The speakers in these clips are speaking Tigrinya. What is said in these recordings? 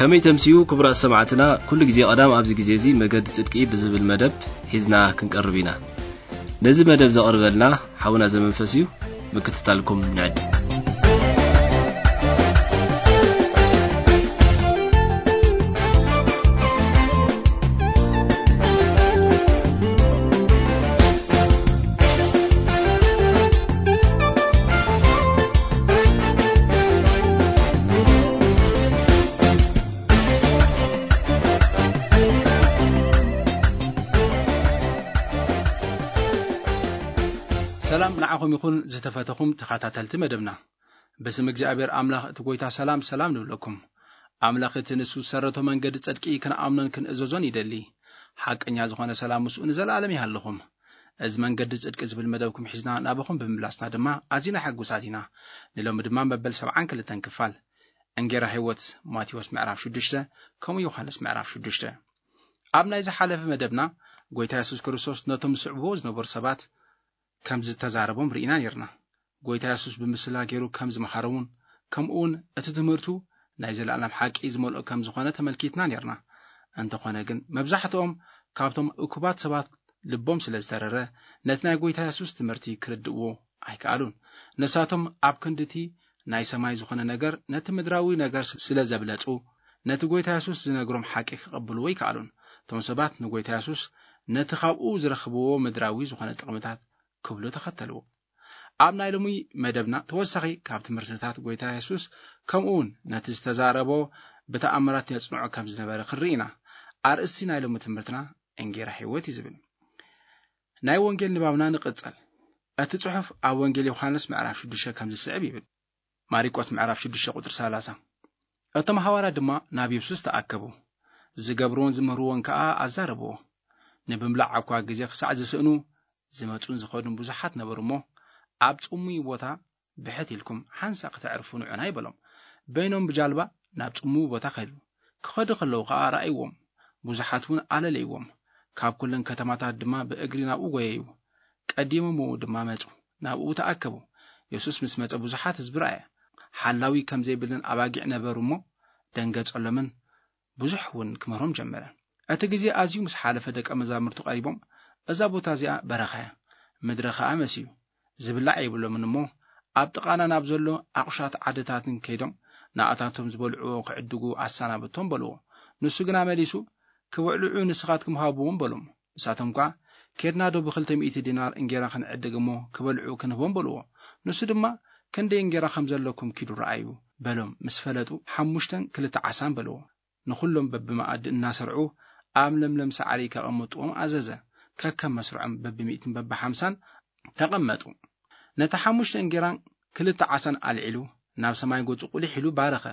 ከመይ ተምስዩ ክቡራት ሰማዕትና፣ ኩሉ ግዜ ቀዳም ኣብዚ ግዜ እዚ መገዲ ጽድቂ ብዝብል መደብ ሒዝና ክንቀርብ ኢና። ነዚ መደብ ዘቕርበልና ሓውና ዘመንፈስ እዩ። ምክትታልኩም ንዕድም። ሰላም ንዓኹም ይኹን ዝተፈተኹም ተኸታተልቲ መደብና። ብስም እግዚኣብሔር ኣምላኽ እቲ ጐይታ ሰላም ሰላም ንብለኩም። ኣምላኽ እቲ ንሱ ዝሰረቶ መንገዲ ጽድቂ ክንኣምኖን ክንእዘዞን ይደሊ። ሓቀኛ ዝኾነ ሰላም ምስኡ ንዘለኣለም ይሃልኹም። እዚ መንገዲ ጽድቂ ዝብል መደብኩም ሒዝና ናባኹም ብምምላስና ድማ ኣዚና ሕጉሳት ኢና። ንሎሚ ድማ መበል ሰብዓን ክልተን ክፋል እንጌራ ህይወት ማቴዎስ ምዕራፍ ሽዱሽተ ከምኡ ዮሃንስ ምዕራፍ ሽዱሽተ። ኣብ ናይ ዝሓለፈ መደብና ጐይታ የሱስ ክርስቶስ ነቶም ዝስዕብዎ ዝነበሩ ሰባት ከም ዝተዛረቦም ርኢና ኔርና። ጐይታ የሱስ ብምስላ ገይሩ ከም ዝመሃሮምን ከምኡውን እቲ ትምህርቱ ናይ ዘለኣለም ሓቂ ዝመልኦ ከም ዝኾነ ተመልኪትና ኔርና። እንተኾነ ግን መብዛሕትኦም ካብቶም እኩባት ሰባት ልቦም ስለ ዝተረረ ነቲ ናይ ጐይታ የሱስ ትምህርቲ ክርድእዎ ኣይከኣሉን። ንሳቶም ኣብ ክንድቲ ናይ ሰማይ ዝኾነ ነገር ነቲ ምድራዊ ነገር ስለ ዘብለጹ ነቲ ጐይታ የሱስ ዝነግሮም ሓቂ ክቐብልዎ ኣይከኣሉን። እቶም ሰባት ንጐይታ የሱስ ነቲ ካብኡ ዝረኽብዎ ምድራዊ ዝኾነ ጥቕምታት ክብሉ ተኸተልዎ። ኣብ ናይ ሎሚ መደብና ተወሳኺ ካብ ትምህርትታት ጐይታ የሱስ ከምኡ እውን ነቲ ዝተዛረቦ ብተኣምራት የጽንዖ ከም ዝነበረ ክንርኢ ኢና። ኣርእስቲ ናይ ሎሚ ትምህርትና እንጌራ ህይወት እዩ ዝብል። ናይ ወንጌል ንባብና ንቕጸል። እቲ ጽሑፍ ኣብ ወንጌል ዮሃንስ ምዕራፍ ሽዱሽተ ከም ዝስዕብ ይብል። ማሪቆስ ምዕራፍ ሽዱሽተ ቁጽሪ ሰላሳ። እቶም ሃዋርያት ድማ ናብ የሱስ ተኣከቡ። ዝገብርዎን ዝምህርዎን ከኣ ኣዛረብዎ። ንምብላዕ እኳ ግዜ ክሳዕ ዝስእኑ ዝመጹን ዝኸዱን ብዙሓት ነበሩ እሞ፣ ኣብ ጽሙይ ቦታ ብሕት ኢልኩም ሓንሳእ ክተዕርፉ ንዑና ይበሎም። በይኖም ብጃልባ ናብ ጽሙው ቦታ ከዱ። ክኸዱ ከለዉ ኸኣ ረኣይዎም፣ ብዙሓት እውን ኣለለይዎም። ካብ ኩለን ከተማታት ድማ ብእግሪ ናብኡ ጐየዩ። ቀዲሞምዎ ድማ መጹ፣ ናብኡ ተኣከቡ። የሱስ ምስ መጸ ብዙሓት ህዝቢ ረኣየ። ሓላዊ ከም ዘይብለን ኣባጊዕ ነበሩ እሞ ደንገጸሎምን ብዙሕ እውን ክምህሮም ጀመረ። እቲ ግዜ ኣዝዩ ምስ ሓለፈ ደቀ መዛሙርቱ ቀሪቦም፣ "እዛ ቦታ እዚኣ በረኻ እያ፣ ምድሪ ኸኣ መስዩ፣ ዝብላዕ የብሎምን እሞ ኣብ ጥቓና ናብ ዘሎ ኣቑሻት ዓድታትን ከይዶም ንኣታቶም ዝበልዕዎ ክዕድጉ ኣሰናብቶም" በልዎ። ንሱ ግና መሊሱ፣ "ክብዕልዑ ንስኻትኩም ሃብዎም" በሎም። ንሳቶም ከኣ፣ "ኬድና ዶ ብኽልተ ሚእቲ ዲናር እንጌራ ክንዕድግ እሞ ክበልዑ ክንህቦም?" በልዎ። ንሱ ድማ፣ "ክንደይ እንጌራ ከም ዘለኩም ኪዱ ረኣዩ" በሎም። ምስ ፈለጡ፣ "ሓሙሽተን ክልተ ዓሳን" በልዎ። ንኹሎም በብመኣዲ እናሰርዑ ኣብ ለምለም ሳዕሪ ከቐምጥዎም ኣዘዘ። ከከም መስርዖም በብሚእትን በብሓምሳን ተቐመጡ። ነቲ ሓሙሽተ እንጌራን ክልተ ዓሳን ኣልዒሉ፣ ናብ ሰማይ ገጹ ቁሊሕ ኢሉ ባረኸ።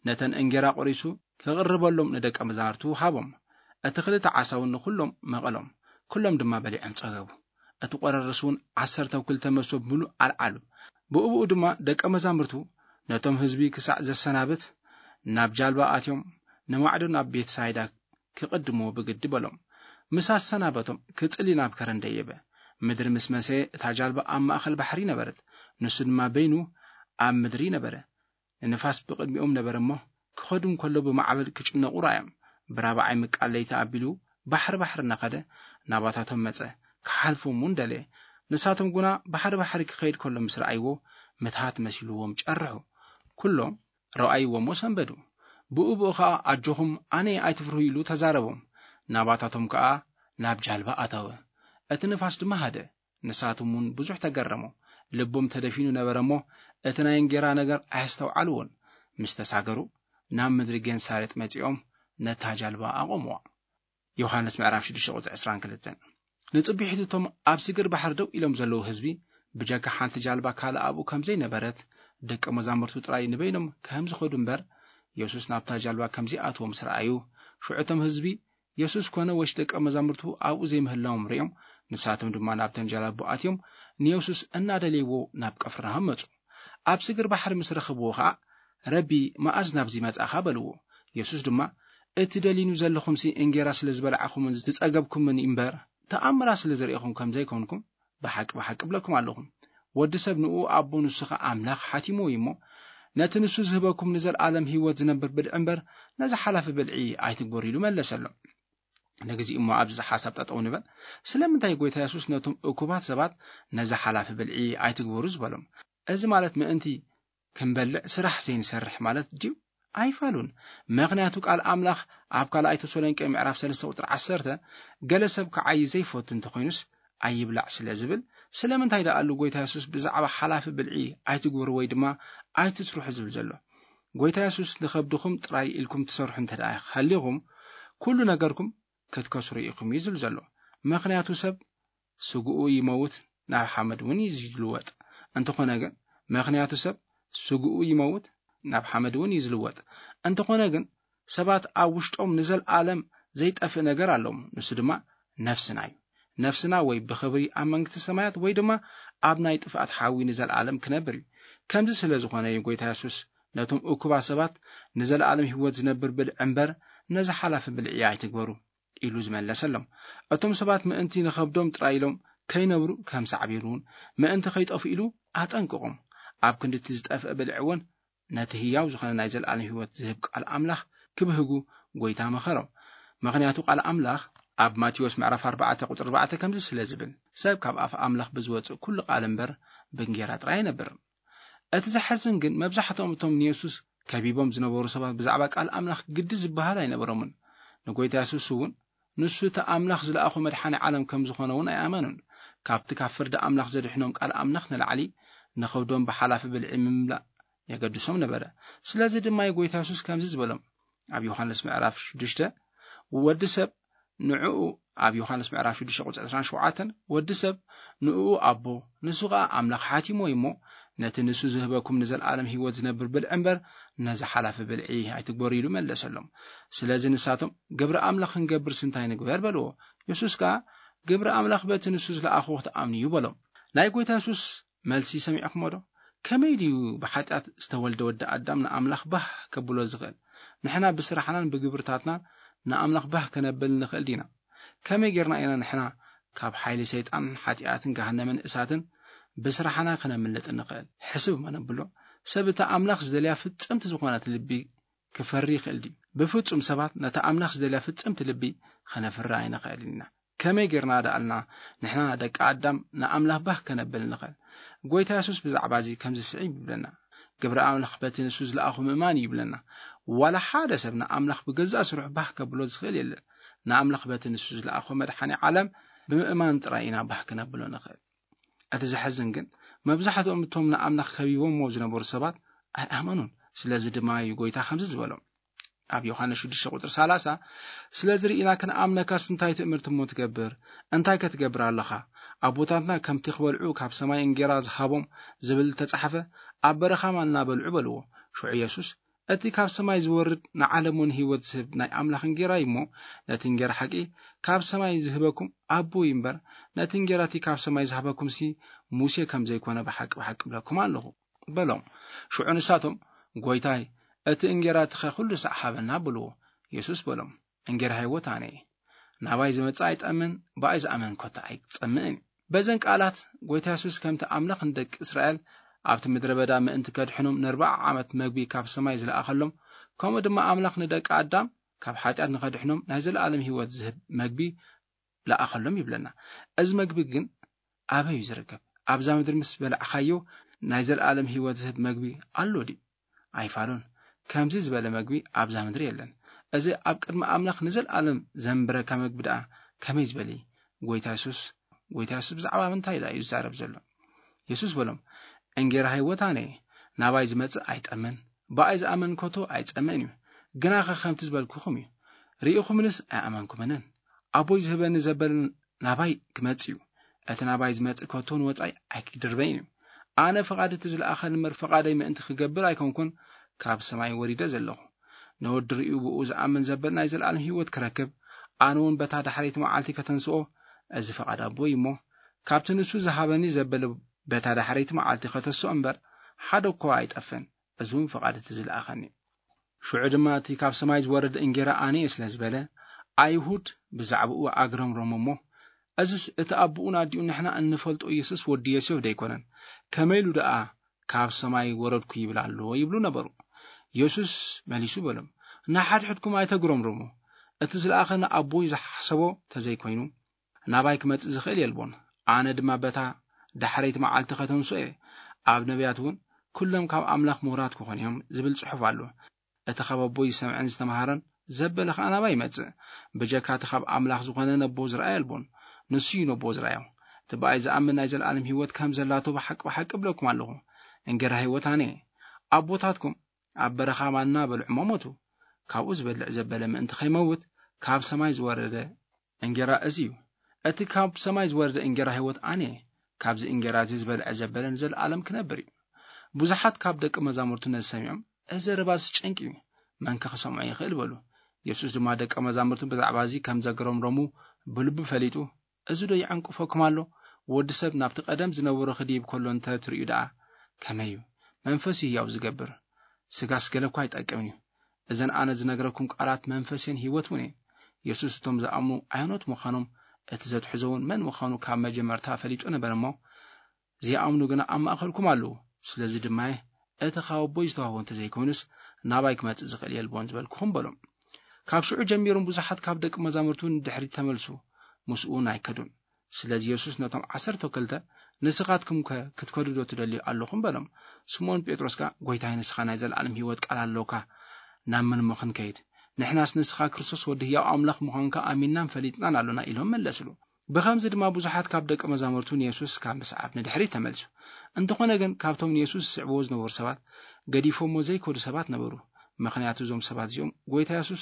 ነተን እንጌራ ቆሪሱ ክቕርበሎም ንደቀ መዛሙርቱ ሃቦም። እቲ ክልተ ዓሳ እውን ንኹሎም መቐሎም። ኩሎም ድማ በሊዖም ጸገቡ። እቲ ቆረርስ እውን ዓሰርተ ክልተ መሶብ ምሉእ ኣልዓሉ። ብእብኡ ድማ ደቀ መዛሙርቱ ነቶም ህዝቢ ክሳዕ ዘሰናብት ናብ ጃልባ ኣትዮም ንማዕዶ ናብ ቤት ሳይዳ ክቕድምዎ ብግዲ በሎም። ምስ ኣሰናበቶም ክጽሊ ናብ ከረን ደየበ። ምድሪ ምስ መሰየ እታ ጃልባ ኣብ ማእከል ባሕሪ ነበረት። ንሱ ድማ በይኑ ኣብ ምድሪ ነበረ። ንንፋስ ብቕድሚኦም ነበረ እሞ ክኸዱ እንከሎ ብማዕበል ክጭነቑ ረኣዮም። ብራብዓይ ምቃል ለይቲ ኣቢሉ ባሕሪ ባሕሪ እናኸደ ናባታቶም መጸ። ክሓልፎም እውን ደለየ። ንሳቶም ግና ባሕሪ ባሕሪ ክኸይድ ከሎ ምስ ረኣይዎ ምትሃት መሲልዎም ጨርሑ። ኩሎም ረኣይዎ እሞ ሰንበዱ። ብኡ ብኡ ኸኣ "ኣጆኹም፣ ኣነ እየ፣ ኣይትፍርሁ" ኢሉ ተዛረቦም። ናባታቶም ከኣ ናብ ጃልባ ኣተወ። እቲ ንፋስ ድማ ሃደ። ንሳቶም እውን ብዙሕ ተገረሙ። ልቦም ተደፊኑ ነበረ እሞ እቲ ናይ እንጌራ ነገር ኣየስተውዓልዎን። ምስ ተሳገሩ ናብ ምድሪ ጌንሳሬጥ መጺኦም ነታ ጃልባ ኣቖምዋ። ዮሃንስ ምዕራፍ ሽዱሽተ ቁጽሪ ዕስራን ክልተን። ንጽቢሒቱ እቶም ኣብ ስግር ባሕሪ ደው ኢሎም ዘለዉ ህዝቢ ብጀካ ሓንቲ ጃልባ ካልእ ኣብኡ ከም ዘይነበረት፣ ደቀ መዛሙርቱ ጥራይ ንበይኖም ከም ዝኸዱ እምበር የሱስ ናብታ ጃልባ ከም ዘይኣትዎ ምስ ረኣዩ፣ ሽዑ እቶም ህዝቢ የሱስ ኮነ ወይስ ደቀ መዛሙርቱ ኣብኡ ዘይምህላዎም ርእዮም፣ ንሳቶም ድማ ናብተን ጃላቡ ኣትዮም ንየሱስ እናደለይዎ ናብ ቅፍርናሆም መጹ። ኣብ ስግር ባሕሪ ምስ ረኸብዎ ኸኣ፣ "ረቢ፣ መኣዝ ናብዚ መጻእኻ?" በልዎ። የሱስ ድማ፣ "እቲ ደሊኑ ዘለኹምሲ እንጌራ ስለ ዝበላዕኹምን ዝጸገብኩምን እምበር፣ ተኣምራት ስለ ዝርእኹም ከም ዘይኮንኩም፣ ብሓቂ፣ ብሓቂ እብለኩም ኣለኹ። ወዲ ሰብ ንኡ ኣቦ ንሱ ኸኣ ኣምላኽ ሓቲምዎ እዩ እሞ፣ ነቲ ንሱ ዝህበኩም ንዘለኣለም ህይወት ዝነብር ብልዒ እምበር፣ ነዚ ሓላፊ ብልዒ ኣይትግበሩ" ኢሉ መለሰሎም። ንግዜ እሞ ኣብዚ ሓሳብ ጠጠው ንበል። ስለምንታይ ጎይታ የሱስ ነቶም እኩባት ሰባት ነዚ ሓላፊ ብልዒ ኣይትግበሩ ዝበሎም? እዚ ማለት ምእንቲ ክንበልዕ ስራሕ ዘይንሰርሕ ማለት ድዩ? ኣይፋሉን። ምኽንያቱ ቃል ኣምላኽ ኣብ ካልኣይ ተሰሎንቄ ምዕራፍ ሰለስተ ቁጽሪ ዓሰርተ፣ "ገለ ሰብ ክዓዪ ዘይፈቱ እንተኾይኑስ ኣይብላዕ" ስለ ዝብል፣ ስለምንታይ ደኣሉ ጎይታ የሱስ ብዛዕባ ሓላፊ ብልዒ ኣይትግበሩ ወይ ድማ ኣይትስርሑ ዝብል ዘሎ? ጎይታ የሱስ ንኸብድኹም ጥራይ ኢልኩም ትሰርሑ እንተ ደኣ ሃሊኹም፣ ኩሉ ነገርኩም ክትከስሩ ኢኹም እዩ ዝብል ዘሎ። ምኽንያቱ ሰብ ስግኡ ይመውት፣ ናብ ሓመድ እውን እዩ ዝልወጥ። እንተኾነ ግን፣ ምኽንያቱ ሰብ ስግኡ ይመውት፣ ናብ ሓመድ እውን እዩ ዝልወጥ። እንተኾነ ግን፣ ሰባት ኣብ ውሽጦም ንዘለኣለም ዘይጠፍእ ነገር ኣለዎም። ንሱ ድማ ነፍስና እዩ። ነፍስና ወይ ብኽብሪ ኣብ መንግስቲ ሰማያት ወይ ድማ ኣብ ናይ ጥፍኣት ሓዊ ንዘለኣለም ክነብር እዩ። ከምዚ ስለ ዝኾነ እዩ ጎይታ የሱስ ነቶም እኩባት ሰባት ንዘለኣለም ህይወት ዝነብር ብልዒ እምበር ነዚ ሓላፊ ብልዒ ኣይትግበሩ ኢሉ ዝመለሰሎም። እቶም ሰባት ምእንቲ ንኸብዶም ጥራይ ኢሎም ከይነብሩ ከም ሳዕቤኑ እውን ምእንቲ ከይጠፍኡ ኢሉ ኣጠንቅቖም። ኣብ ክንዲ እቲ ዝጠፍእ ብልዒ እውን ነቲ ህያው ዝኾነ ናይ ዘለኣለም ህይወት ዝህብ ቃል ኣምላኽ ክብህጉ ጎይታ መኸሮም። ምኽንያቱ ቃል ኣምላኽ ኣብ ማቴዎስ ምዕራፍ ኣርባዕተ ቁጽሪ ኣርባዕተ ከምዚ ስለ ዝብል፣ "ሰብ ካብ ኣፍ ኣምላኽ ብዝወጽእ ኩሉ ቃል እምበር ብእንጌራ ጥራይ ኣይነብርን።" እቲ ዘሐዝን ግን መብዛሕትኦም እቶም ንየሱስ ከቢቦም ዝነበሩ ሰባት ብዛዕባ ቃል ኣምላኽ ግዲ ዝበሃል ኣይነበሮምን። ንጎይታ የሱስ እውን ንሱ እቲ ኣምላኽ ዝለኣኾ መድሓኒ ዓለም ከም ዝኾነ እውን ኣይኣመኑን። ካብቲ ካብ ፍርዲ ኣምላኽ ዘድሕኖም ቃል ኣምላኽ ንላዕሊ ንኸብዶም ብሓላፊ ብልዒ ምምላእ የገድሶም ነበረ። ስለዚ ድማ እዩ ጎይታ የሱስ ከምዚ ዝበሎም ኣብ ዮሃንስ ምዕራፍ ሽዱሽተ፣ "ወዲ ሰብ ንዕኡ" ኣብ ዮሃንስ ምዕራፍ ሽዱሽተ ቁጽሪ ዕስራን ሸውዓተን፣ "ወዲ ሰብ ንእኡ ኣቦ፣ ንሱ ኸኣ ኣምላኽ ሓቲሞ እዩ እሞ፣ ነቲ ንሱ ዝህበኩም ንዘለኣለም ህይወት ዝነብር ብልዒ እምበር፣ ነዚ ሓላፊ ብልዒ ኣይትግበሩ" ኢሉ መለሰሎም። ስለዚ ንሳቶም፣ "ግብሪ ኣምላኽ ክንገብርስ እንታይ ንግበር?" በልዎ። የሱስ ከኣ፣ "ግብሪ ኣምላኽ በቲ ንሱ ዝለኣኹ ክትኣምኑ እዩ" በሎም። ናይ ጎይታ የሱስ መልሲ ሰሚዕኩሞ ዶ? ከመይ ድዩ ብሓጢኣት ዝተወልደ ወዲ ኣዳም ንኣምላኽ ባህ ከብሎ ዝኽእል? ንሕና ብስራሕናን ብግብርታትናን ንኣምላኽ ባህ ከነብል ንኽእል ዲና? ከመይ ጌርና ኢና ንሕና ካብ ሓይሊ ሰይጣን፣ ሓጢኣትን ገሃነምን እሳትን ብስራሕና ከነምልጥ እንኽእል? ሕስብ እሞ ነብሎ። ሰብ እቲ ኣምላኽ ዝደልያ ፍጽምቲ ዝኾነት ልቢ ክፈሪ ይኽእል ድዩ? ብፍጹም ሰባት ነቲ ኣምላኽ ዝደልያ ፍጽምቲ ልቢ ኸነፍሪ ኣይንኽእልን ኢና። ከመይ ጌርና ደኣልና ንሕና ደቂ ኣዳም ንኣምላኽ ባህ ከነብል ንኽእል? ጎይታ የሱስ ብዛዕባ እዚ ከምዚ ስዒብ ይብለና፣ "ግብሪ ኣምላኽ በቲ ንሱ ዝለኣኹ ምእማን እዩ" ይብለና። ዋላ ሓደ ሰብ ንኣምላኽ ብገዛእ ስርሑ ባህ ከብሎ ዝኽእል የለን። ንኣምላኽ በቲ ንሱ ዝለኣኾ መድሓኒ ዓለም ብምእማን ጥራይ ኢና ባህ ከነብሎ ንኽእል። እቲ ዘሕዝን ግን፣ መብዛሕትኦም እቶም ንኣምላኽ ከቢቦምዎ ዝነበሩ ሰባት ኣይኣመኑን። ስለዚ ድማ እዩ ጎይታ ከምዚ ዝበሎም ኣብ ዮሃንስ ሽዱሽተ ቁጽሪ ሰላሳ፣ "ስለዚ ርኢና ክንኣምነካስ እንታይ ትእምርቲ እሞ ትገብር? እንታይ ከ ትገብር ኣለኻ? ኣቦታትና ከምቲ ክበልዑ ካብ ሰማይ እንጌራ ዝሃቦም ዝብል ተጻሕፈ፣ ኣብ በረኻ ማና በልዑ" በልዎ። ሽዑ የሱስ፣ "እቲ ካብ ሰማይ ዝወርድ ንዓለም እውን ህይወት ዝህብ ናይ ኣምላኽ እንጌራ እዩ እሞ፣ ነቲ እንጌራ ሓቂ ካብ ሰማይ ዝህበኩም ኣቦ እዩ እምበር፣ ነቲ እንጌራ እቲ ካብ ሰማይ ዝሃበኩምሲ ሙሴ ከም ዘይኮነ ብሓቂ ብሓቂ እብለኩም ኣለኹ" በሎም። ሽዑ ንሳቶም፣ "ጎይታይ፣ እቲ እንጌራ እቲ ኸ ኩሉ ሳዕ ሃበና" በልዎ። የሱስ በሎም፣ "እንጌራ ህይወት ኣነ እየ። ናባይ ዝመጽእ ኣይጠምን፣ ብኣይ ዝኣምን ኮታ ኣይጸምእን እዩ።" በዘን ቃላት፣ ጎይታ የሱስ ከምቲ ኣምላኽ ንደቂ እስራኤል ኣብቲ ምድረ በዳ ምእንቲ ከድሕኖም ንኣርብዓ ዓመት መግቢ ካብ ሰማይ ዝለኣኸሎም፣ ከምኡ ድማ ኣምላኽ ንደቂ ኣዳም ካብ ሓጢኣት ንኸድሕኖም ናይ ዘለኣለም ህይወት ዝህብ መግቢ ለኣኸሎም ይብለና። እዚ መግቢ ግን ኣበይ እዩ ዝርከብ? ኣብዛ ምድሪ ምስ በላዕኻዮ ናይ ዘለኣለም ህይወት ዝህብ መግቢ ኣሎ ድዩ? ኣይፋሉን። ከምዚ ዝበለ መግቢ ኣብዛ ምድሪ የለን። እዚ ኣብ ቅድሚ ኣምላኽ ንዘለኣለም ዘንብረካ መግቢ ደኣ ከመይ ዝበለ እዩ? ጎይታ የሱስ፣ ጎይታ የሱስ ብዛዕባ ምንታይ ደኣ እዩ ዝዛረብ ዘሎ? የሱስ በሎም፣ "እንጌራ ህይወት ኣነ እየ። ናባይ ዝመጽእ ኣይጠምን፣ ብኣይ ዝኣምን ከቶ ኣይጸምእን እዩ። ግናኸ ከምቲ ዝበልኩኹም እዩ። ርኢኹምንስ ኣይኣመንኩምንን። ኣቦይ ዝህበኒ ዘበለ ናባይ ክመጽእ እዩ። እቲ ናባይ ዝመጽእ ከቶ ንወጻኢ ኣይክድርበይን እዩ። ኣነ ፍቓድ እቲ ዝለኣኸኒ እምበር ፍቓደይ ምእንቲ ክገብር ኣይኮንኩን ካብ ሰማይ ወሪደ ዘለኹ። ንወዲ ርእዩ ብኡ ዝኣምን ዘበለ ናይ ዘለኣለም ህይወት ክረክብ፣ ኣነ እውን በታ ዳሕረይቲ መዓልቲ ከተንስኦ፣ እዚ ፍቓድ ኣቦይ እዩ እሞ፣ ካብቲ ንሱ ዝሃበኒ ዘበለ በታ ዳሕረይቲ መዓልቲ ከተስኦ እምበር፣ ሓደ እኳ ኣይጠፍእን። እዚ እውን ፍቓድ እቲ ዝለኣኸኒ እዩ።" ሽዑ ድማ እቲ ካብ ሰማይ ዝወረደ እንጌራ ኣነ እየ ስለ ዝበለ፣ ኣይሁድ ብዛዕባኡ ኣግረምረሙ እሞ፣ "እዝስ እቲ ኣቦኡን ኣዲኡን ንሕና እንፈልጦ ኢየሱስ ወዲ ዮሴፍ ደይኮነን? ከመይ ኢሉ ደኣ ካብ ሰማይ ወረድኩ ይብል ኣሎ ይብሉ ነበሩ። የሱስ መሊሱ በሎም፣ ንሓድሕድኩም ኣይተግረምርሙ። እቲ ዝለኣኸኒ ኣቦይ ዝሓሰቦ ተዘይኮይኑ፣ ናባይ ክመጽእ ዝኽእል የልቦን። ኣነ ድማ በታ ዳሕረይቲ መዓልቲ ከተንስኦ እየ። ኣብ ነቢያት እውን፣ ኩሎም ካብ ኣምላኽ ምሁራት ክኾኑ እዮም ዝብል ጽሑፍ ኣሎ። እቲ ካብ ኣቦይ ዝሰምዐን ዝተምሃረን ዘበለ ኸኣ ናባይ ይመጽእ። ብጀካ እቲ ካብ ኣምላኽ ዝኾነ ነቦ ዝረኣየ የልቦን። ንሱ እዩ ነቦ ዝረኣዮ። እቲ ብኣይ ዝኣምን ናይ ዘለኣለም ህይወት ከም ዘላቶ ብሓቂ ብሓቂ እብለኩም ኣለኹ። እንጌራ ህይወት ኣነ እየ። ኣቦታትኩም ኣብ በረኻ ማና በልዑ ሞቱ። ካብኡ ዝበልዕ ዘበለ ምእንቲ ከይመውት ካብ ሰማይ ዝወረደ እንጌራ እዚ እዩ። እቲ ካብ ሰማይ ዝወረደ እንጌራ ህይወት ኣነ እየ። ካብዚ እንጌራ እዚ ዝበልዐ ዘበለ ንዘለኣለም ክነብር እዩ። ብዙሓት ካብ ደቂ መዛሙርቱ ነዚ ሰሚዖም፣ "እዚ ዘረባስ ጨንቂ እዩ፣ መን ከ ክሰምዖ ይኽእል?" በሉ። የሱስ ድማ ደቂ መዛሙርቱ ብዛዕባ እዚ ከም ዘግረምረሙ ብልቡ ፈሊጡ፣ "እዚ ዶ ይዕንቅፈኩም ኣሎ? ወዲ ሰብ ናብቲ ቀደም ዝነበሮ ክድይብ ከሎ እንተ ትርእዩ ደኣ ከመይ እዩ? መንፈስ እዩ ህያው ዝገብር፣ ስጋስ ገለ እኳ ኣይጠቅምን እዩ። እዘን ኣነ ዝነግረኩም ቃላት መንፈስን ህይወት እውን እየን።" የሱስ እቶም ዝኣምኑ ኣየኖት ምዃኖም፣ እቲ ዘትሕዞ እውን መን ምዃኑ ካብ መጀመርታ ፈሊጡ ነበር እሞ፣ ዘይኣምኑ ግና ኣብ ማእከልኩም ኣለዉ። ስለዚ ድማ እቲ ካብ ኣቦይ ዝተዋህቦ እንተዘይኮይኑስ ናባይ ክመጽእ ዝኽእል የልቦን ዝበልኩኹም በሎም። ካብ ሽዑ ጀሚሮም ብዙሓት ካብ ደቂ መዛሙርቱ ንድሕሪት ተመልሱ፣ ምስኡ እውን ኣይከዱን። ስለዚ የሱስ ነቶም ዓሰርተ ክልተ፣ "ንስኻትኩም ከ ክትከዱ ዶ ትደልዩ ኣለኹም?" በሎም። ስምኦን ጴጥሮስ ከኣ፣ "ጐይታይ፣ ንስኻ ናይ ዘለኣለም ህይወት ቃል ኣለካ፣ ናብ መን እሞ ክንከይድ? ንሕናስ ንስኻ ክርስቶስ ወዲ ህያው ኣምላኽ ምዃንካ ኣሚንናን ፈሊጥናን ኣሎና" ኢሎም መለስሉ። ብኸምዚ ድማ ብዙሓት ካብ ደቂ መዛሙርቱ ንየሱስ ካብ ምስዓብ ንድሕሪት ተመልሱ። እንተኾነ ግን ካብቶም ንየሱስ ዝስዕብዎ ዝነበሩ ሰባት ገዲፎሞ ዘይከዱ ሰባት ነበሩ። ምኽንያቱ እዞም ሰባት እዚኦም ጐይታ የሱስ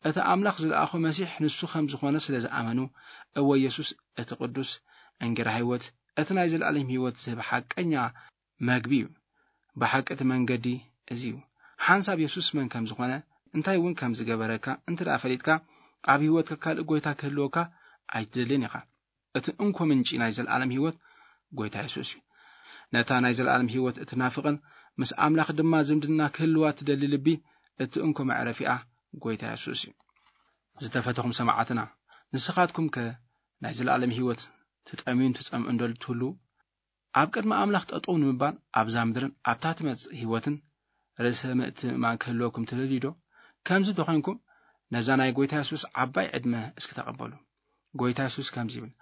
እቲ ኣምላኽ ዝለኣኾ መሲሕ ንሱ ከም ዝኾነ ስለ ዝኣመኑ፣ "እወ የሱስ እቲ ቅዱስ እንጌራ ህይወት፣ እቲ ናይ ዘለኣለም ህይወት ዝህብ ሓቀኛ መግቢ እዩ። ብሓቂ እቲ መንገዲ እዚ እዩ። ሓንሳብ የሱስ መን ከም ዝኾነ፣ እንታይ እውን ከም ዝገበረካ እንተ ደኣ ፈሊጥካ፣ ኣብ ህይወትካ ካልእ ጐይታ ክህልወካ ኣይትደልን ኢኻ። እቲ እንኮ ምንጪ ናይ ዘለኣለም ህይወት ጐይታ የሱስ እዩ። ነታ ናይ ዘለኣለም ህይወት እትናፍቕን ምስ ኣምላኽ ድማ ዝምድና ክህልዋ እትደሊ ልቢ፣ እቲ እንኮ መዕረፊኣ ጐይታ የሱስ እዩ።" ዝተፈተኹም ሰማዕትና፣ ንስኻትኩም ከ ናይ ዘለኣለም ህይወት ትጠምዩን ትጸምኡን ዶ ትህልዉ? ኣብ ቅድሚ ኣምላኽ ጠጠው ንምባል ኣብዛ ምድርን ኣብታ ትመጽእ ህይወትን ርእሰ ምእትእማን ክህልወኩም ትደልዩ ዶ? ከምዚ እንተኾይንኩም፣ ነዛ ናይ ጐይታ የሱስ ዓባይ ዕድመ እስኪ ተቐበሉ። ጐይታ የሱስ ከምዚ ይብል፣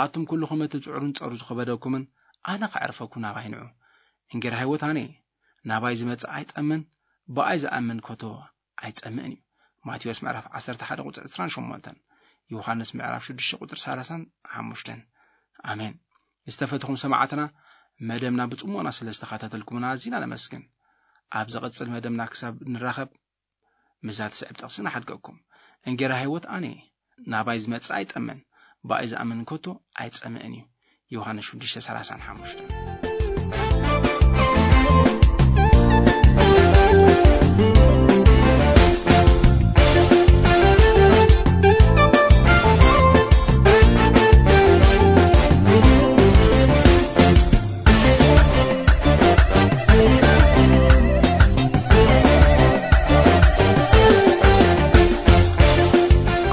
"ኣቱም ኩልኹም እቲ ጽዕሩን ጸሩ ዝኸበደኩምን፣ ኣነ ከዕርፈኩም ናባይ ንዑ። እንጌራ ህይወት ኣነ እየ። ናባይ ዝመጽእ ኣይጠምን፣ ብኣይ ዝኣምን ከቶ ኣይጸምእን እዩ።" ማቴዎስ ምዕራፍ ዓሰርተ ሓደ ቁጽሪ ዕስራን ሸሞንተን፣ ዮሃንስ ምዕራፍ ሽዱሽተ ቁጽሪ ሰላሳን ሓሙሽተን። ኣሜን። ዝተፈተኹም ሰማዕትና፣ መደብና ብጽሞና ስለ ዝተኸታተልኩምና ኣዚና ነመስግን። ኣብ ዝቕጽል መደብና ክሳብ ንራኸብ፣ ምስዛ ትስዕብ ጥቕሲ ንሓድገኩም። "እንጌራ ህይወት ኣነ እየ፣ ናባይ ዝመጽእ ኣይጠምን፣ ብኣይ ዝኣምን ከቶ ኣይጸምእን እዩ።" ዮሃንስ ሽዱሽተ ሰላሳን ሓሙሽተን።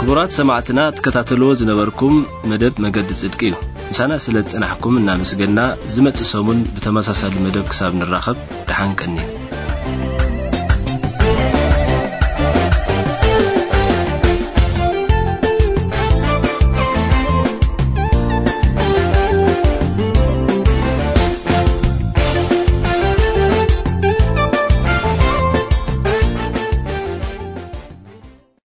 ክቡራት ሰማዕትና፣ ትከታተልዎ ዝነበርኩም መደብ መገዲ ጽድቂ እዩ። ምሳና ስለ ዝጸናሕኩም እናመስገና፣ ዝመጽእ ሰሙን ብተመሳሳሊ መደብ ክሳብ ንራኸብ፣ ደሓን ቀንዩ።